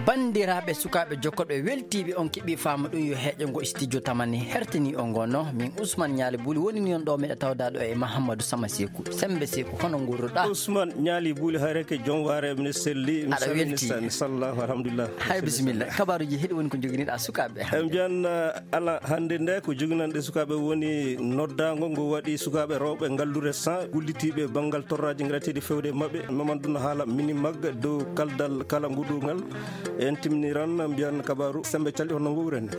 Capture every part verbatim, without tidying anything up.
Banndiraaɓe sukaaɓe jokkoɓe weltiiɓe on keɓii faama ɗum yo heeƴo ngo studio tamani hertini on ngono. Min Ousmane Ñaali Buli woni ni on ɗo meɗa tawda ɗo e Mahamadou Sama Seku. Sembe Seku, hono ngurruɗa? Ousmane Ñaali Buli, hayreke joom waare, mine selli, mi Aɗa salmini welti. Sa-, mi sallahu, alhamdulillah. Hay bisimilla. Kabaruji heɗi woni ko joginiɗa sukaaɓe. E mbiyan, eh, ala hannde nde ko joginanɗe sukaaɓe woni noddaango ngo waɗi sukaaɓe rewɓe ngallure cent gullitiiɓe banngal torraaji ngareteeɗi fewde e maɓɓe. Mamadou no haala mini magga dow kaldal kala nguɗungal. En timniran mbiyan kabaru sembe calɗi hono ngowren.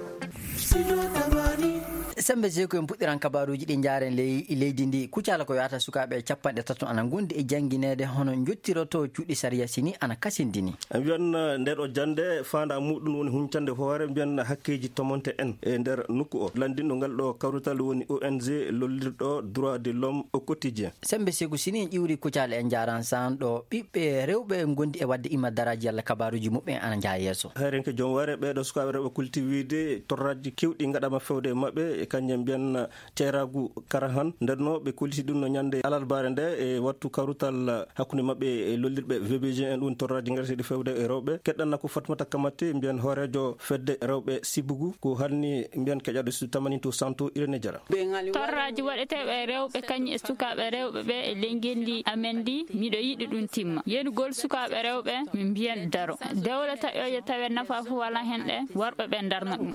Sembe Seku, en puɗɗiran kabaruji ɗi njaaren ley, leydi ndi. Kucala ko yahata sukaaɓe capanɗe tato ana ngondi e janngineede hono njottiroto cuuɗi sariya sini ana kasindini. En mbiyan, eh, nde ɗo jannde faanda muɗum woni huncande hoore mbiyan hakkeji tomonte en e nder nokku o. Lanndinɗo ngal ɗo kawrital woni O N G lollirɗo droit de l'homme au quotidien. Sembe Seku, sini en ƴiwri kucala en njaaran san ɗo ɓiɓɓe rewɓe ngondi e waɗde ima daraaji yalla kabaruji muɓɓen ana njaha yeeso. Hayrenke joom waare ɓeeɗo sukaaɓe rewɓe kulti wiide torraaji kewɗi ngaɗama fewde e maɓɓe e kanƴe mbiyan ceeraagu karahan. Nden no ɓe kolliti ɗum no ñande alarbaare nde e wattu kawrutal hakkunde maɓɓe e lollirɓe V B G en, ɗum torraaji ngareteeɗi fewde e rewɓe. Keɗɗanna ko Fatmata Kamate, mbiyan hooreejo fedde rewɓe Sibugu, ko hanni mbiyan keƴaɗo Sud Tamani to Santo Irene Jara. Torraaji waɗeteeɓe e rewɓe kañum e sukaaɓe rewɓe ɓe e ley ngenndi amen ndi, miɗo yiɗi ɗum timma. Yenugol sukaaɓe rewɓe, min mbiyan daro. Dewle taƴooje tawe nafa fof wala hen ɗe, worɓe ɓe darna ɗum.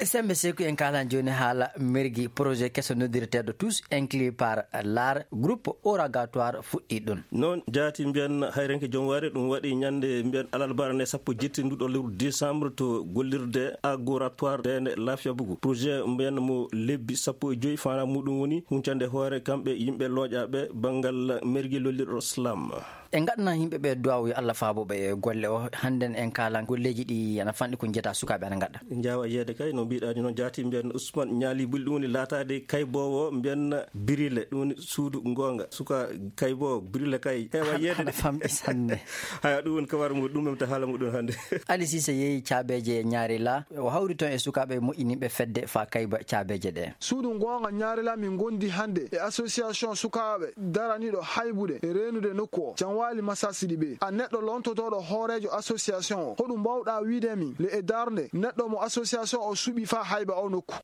Sembe Seku, en kaalan jooni haala mergi projet keso noddireteeɗo Tous inclus par l'art, groupe oratoire fuɗɗi ɗum. Noon jaati mbiyan hayrenke joom waare ɗum waɗi ñande mbiyan alarbaare nde sappo jetti nduɗo lewru décembre to gollirde agoratoire Deende Laafiya Bugu. Projet mbiyan mo lebbi sappo e joyi fana muɗum woni huncande hoore kamɓe yimɓe looƴaaɓe banngal mergi lollirɗo slam. En ngaɗana yimɓe ɓe duwaawu yo Allah faabo ɓe e golle o. Hannden en kaalan golleeji ɗi ana fanɗi ko njeta sukaaɓe ana ngaɗa. Njaawa yeede kay no mbiɗa ni noon jaati mbiyan Ousmane Ñaali Buli ɗum woni laataade kayboowo mbiyan birile ɗum woni suudu ngoonga. Suka kayboowo birile kay heewa yeede. Haɗa famɗi sanne. Haya ɗum woni kabar mu ɗum memta haala muɗum hannde. Ali Sise yeeyi caabeeje ñaari la. O hawri toon e sukaaɓe moƴƴiniiɓe fedde fa kayba caabeeje ɗe. Suudu ngoonga ñaari la min ngondi hannde e association sukaaɓe daraniiɗo haybude e reenude nokku o. Janwaali Masasidi ɓe. A neɗɗo lontotooɗo hooreejo association o. Hoɗum mbawɗa wiide min le e darnde neɗɗo mo association o suɓi fa hayba o nokku?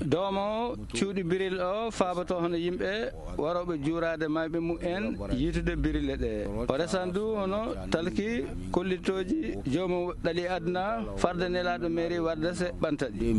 Doomo cuuɗi biril o faaboto hono yimɓe warooɓe juuraade mayɓe mumen yiitude birile ɗe. O resan du hono talki kollitooji joomum ɗali aduna farde nelaaɗo mairie warde se ɓanta ɗi.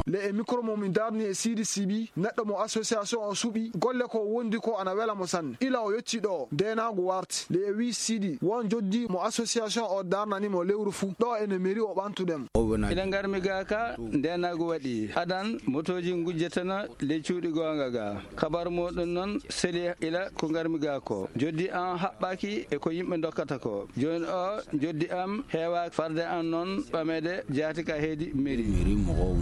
Le e micro mo min darni e Sidi Sibi, neɗɗo mo association o suɓi, golle ko wondi ko ana wela mo sanne. Ila o yetti ɗo, ndeenaagu warti. Le e wi Sidi, won joddi mo association o darnani mo lewru fuu. Ɗo ene mairie o ɓantuɗen. Ila ngarmi ga ka, ndeenaagu waɗi. Adan motooji ngujjetana ley cuuɗi goonga ga. Kabar muɗum noon seli ila ko ngarmi ga ko. Joddi am haɓɓaaki e ko yimɓe dokkata ko. Jooni o joddi am heewaaki farde am noon ɓameede jaati ka heedi mairie.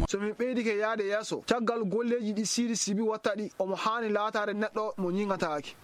So min ɓeydike yaade yeeso, caggal golleeji ɗi Sidi Sibi watta ɗi, omo haani laataade neɗɗo mo ñiŋataaki.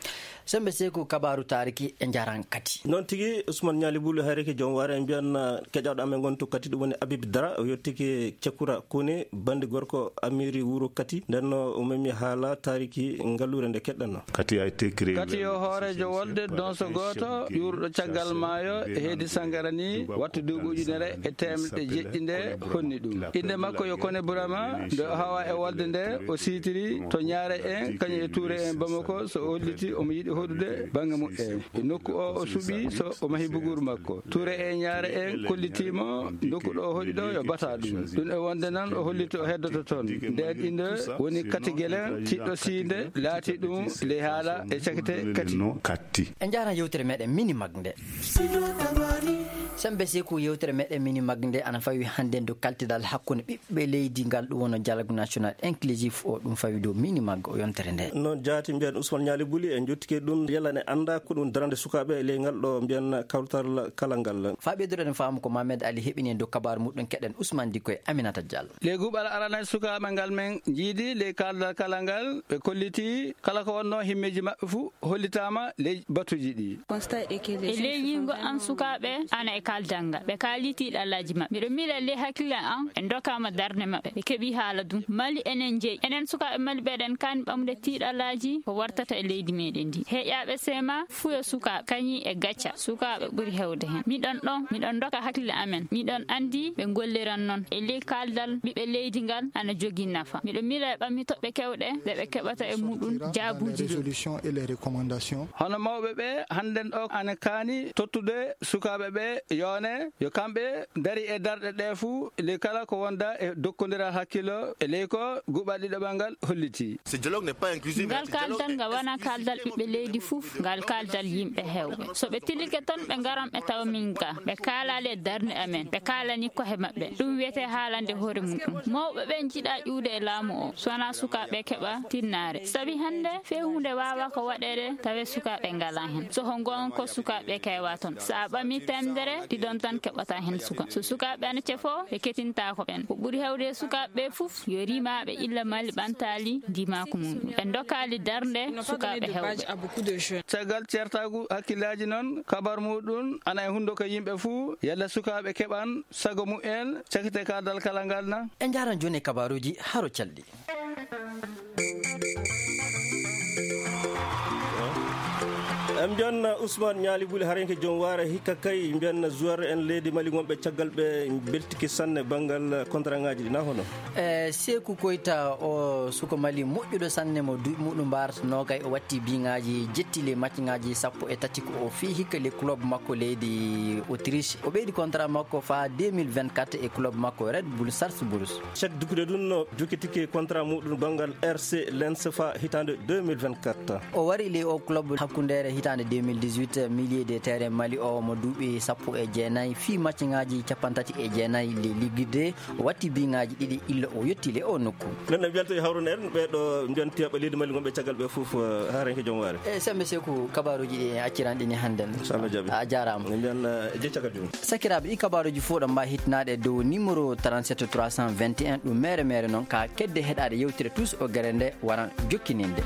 Sembe Seku, kabaaru taariki e njaran kati. Noon tigi, Ousmane Ñaali Buli, hayreke joom waare, en mbiyan, uh, keƴaɗo amen ngon to kati, ɗum woni Habib Dara, o yettike Cekura Kone, bandi gorko Amiri Wuro Kati. Nden no o memi haala taariki ngalluure nde keɗɗanno. Kati a été créé Kati yo hooreejo wolde donso gooto ƴuurɗo caggal maayo e heedi Sangara ni wattu duuɓi ujunere e teemɗe jeɗɗi nde honni ɗum. Innde makko yo Kone Burama, nde o hawa e wolde nde, o siitiri to Ñaare en, kañum e Tuure en Bamako, so o holliti omo yiɗi hoɗude baŋŋe muɓɓen. E nokku o o suɓi so o mahi buguru makko. Tuure en Ñaare en kollitiimo nokku ɗo o hoɗi ɗo yo bata ɗum. Ɗum e wonde nan o holliti o heddoto toon. Nden innde woni Kati Gelen, tiɗɗo siinde, laati ɗum ley haala e cakite Kati. Kati. En njaaraan yewtere meɗen mini mag nde. Sembe Seku, yewtere meɗen mini mag nde ana fawi hannde dow kaltidal hakkunde ɓiɓɓe leydi ngal, ɗum woni dialogue national inclusif o, ɗum fawi dow mini mag o yontere nde. Noon jaati mbiyan Ousmane Ñaali Buli, en jottike ɗum yalla ne annda ko ɗum darande sukaaɓe e ley ngal ɗo mbiyan kawtal kala ngal. Fa ɓeyduɗen faamu ko Mohamed Ali heɓini en dow kabaaru muɗum, keɗen Ousmane Dikko e Aminata Diallo. Ley guuɓal arana sukaaɓe ngal men njiidi ley kaldal kala ngal, ɓe kolliti kala ko wonno himmeeji maɓɓe fuu hollitaama ley batuuji ɗi. E ley yiingo am sukaaɓe ana e Kaaldal ngal, ɓe kaali tiiɗalaaji maɓɓe. Miɗo miila e ley hakkille an, ɓe ndokaama darnde maɓɓe. Ɓe keɓi haala ɗum. Mali enen jeyi. Enen sukaaɓe Mali ɓeɗen kaani ɓamde tiiɗalaaji ko wartata e leydi meɗen ndi. Heƴaaɓe seema, fuyo sukaaɓe, kañi e gacca. Sukaaɓe ɓuri hewde hen. Miɗon ɗon, miɗon ndoka hakkille amen. Miɗon anndi ɓe ngolliran non. E ley kaaldal ɓiɓɓe leydi ngal ana jogii nafa. Miɗo miila e ɓammi toɓɓe kewɗe, ɗe ɓe keɓata e muɗum jaabuuji ɗi. Résolutions et les recommandations. Hono mawɓe ɓe, hannden o ana kaani tottude sukaaɓe ɓe yoone, yo kamɓe ndari e darɗe ɗe fuu, ley kala ko wonda e dokkondiral hakkilo, e ley ko guɓal ɗiɗaɓal ngal holliti. Ce dialogue n'est pas inclusif. Ngal kaaldal ngal wona kaaldal ɓiɓɓe leydi fuf, ngal kaaldal yimɓe hewɓe. So ɓe tilike toon, ɓe ngaran ɓe tawa min ga. Ɓe kaalaali e darnde amen, ɓe kaalani kohe maɓɓe. Ɗum wiyetee haalande hoore mum ɗum. Mawɓe ɓe njiɗa ƴuwde e laamu o, so wonaa sukaaɓe keɓa tinnaare. Sabi hannde, fewhuunde waawa ko waɗeede, tawe sukaaɓe ngalaa heen. So ko ngoonga ko sukaaɓe keewaa toon. So a ɓamii teemedere, ɗiɗon tan keɓata heen suka. So sukaaɓe ana cefoo, ɓe ketintaako ɓeen. Ko ɓuri heewde e sukaaɓe ɓe fof, yo rimaaɓe illa Mali ɓantaali ndimaaku mum ɗum. Ɓe ndokaali darnde sukaaɓe hewɓe. Caggal ceertaagu hakkillaaji noon, kabar muɗum ana e hunnduko yimɓe fuu, yalla sukaaɓe keɓan sago mumen, cakite kaaldal kala ngal na? En njaaran jooni e kabaaruuji haro calɗi. En mbiyan Ousmane Ñaali Buli, harenke joom waare, hikka kay mbiyan joueur en leydi Mali wonɓe caggal ɓe mbeltike sanne banngal contrat ŋaaji ɗi, na hono? E Seeku Koyta, o suko Mali moƴƴuɗo sanne mo duuɓi muɗum mbaarata noogay, o watti biŋaaji jetti le match ŋaaji sappo e tati ko o fii hikka le club makko leydi Autriche. O ɓeydi contrat makko faa deux mille vingt-quatre e club makko Red Bull Salzburg. Cheikh Dukkude ɗum no jokkitike contrat muɗum banngal R C Lens fa hitaande deux mille vingt-quatre. O wari ley o club hakkundeere hitaande deux mille dix-huit, milieu de terrain Mali o mo duuɓi sappo e jeenayi, fii match ŋaaji cappanɗe tati e jeenayi le Ligue deux, o watti biŋaaji ɗiɗi illa o yetti le o nokku. Nden en welto e hawrude en ɓee ɗo mbiyan tiyaɓe leydi Mali wonɓe caggal ɓe fof, eh, harenke joom waare. E sembe Seeku, kabaaruuji ɗi en acciran ɗi ni hannden. So Allah jaɓi. A jaaraama. En mbiyan, eh, jeccagal joom. Sakiraaɓe, ɗi kabaaruuji fof ɗo mbawi hittinaade e dow numéro trente-sept trois cent vingt et un, ɗum mere mere noon ka kedde heɗaade yewtere Tous o gere nde waran jokkininde.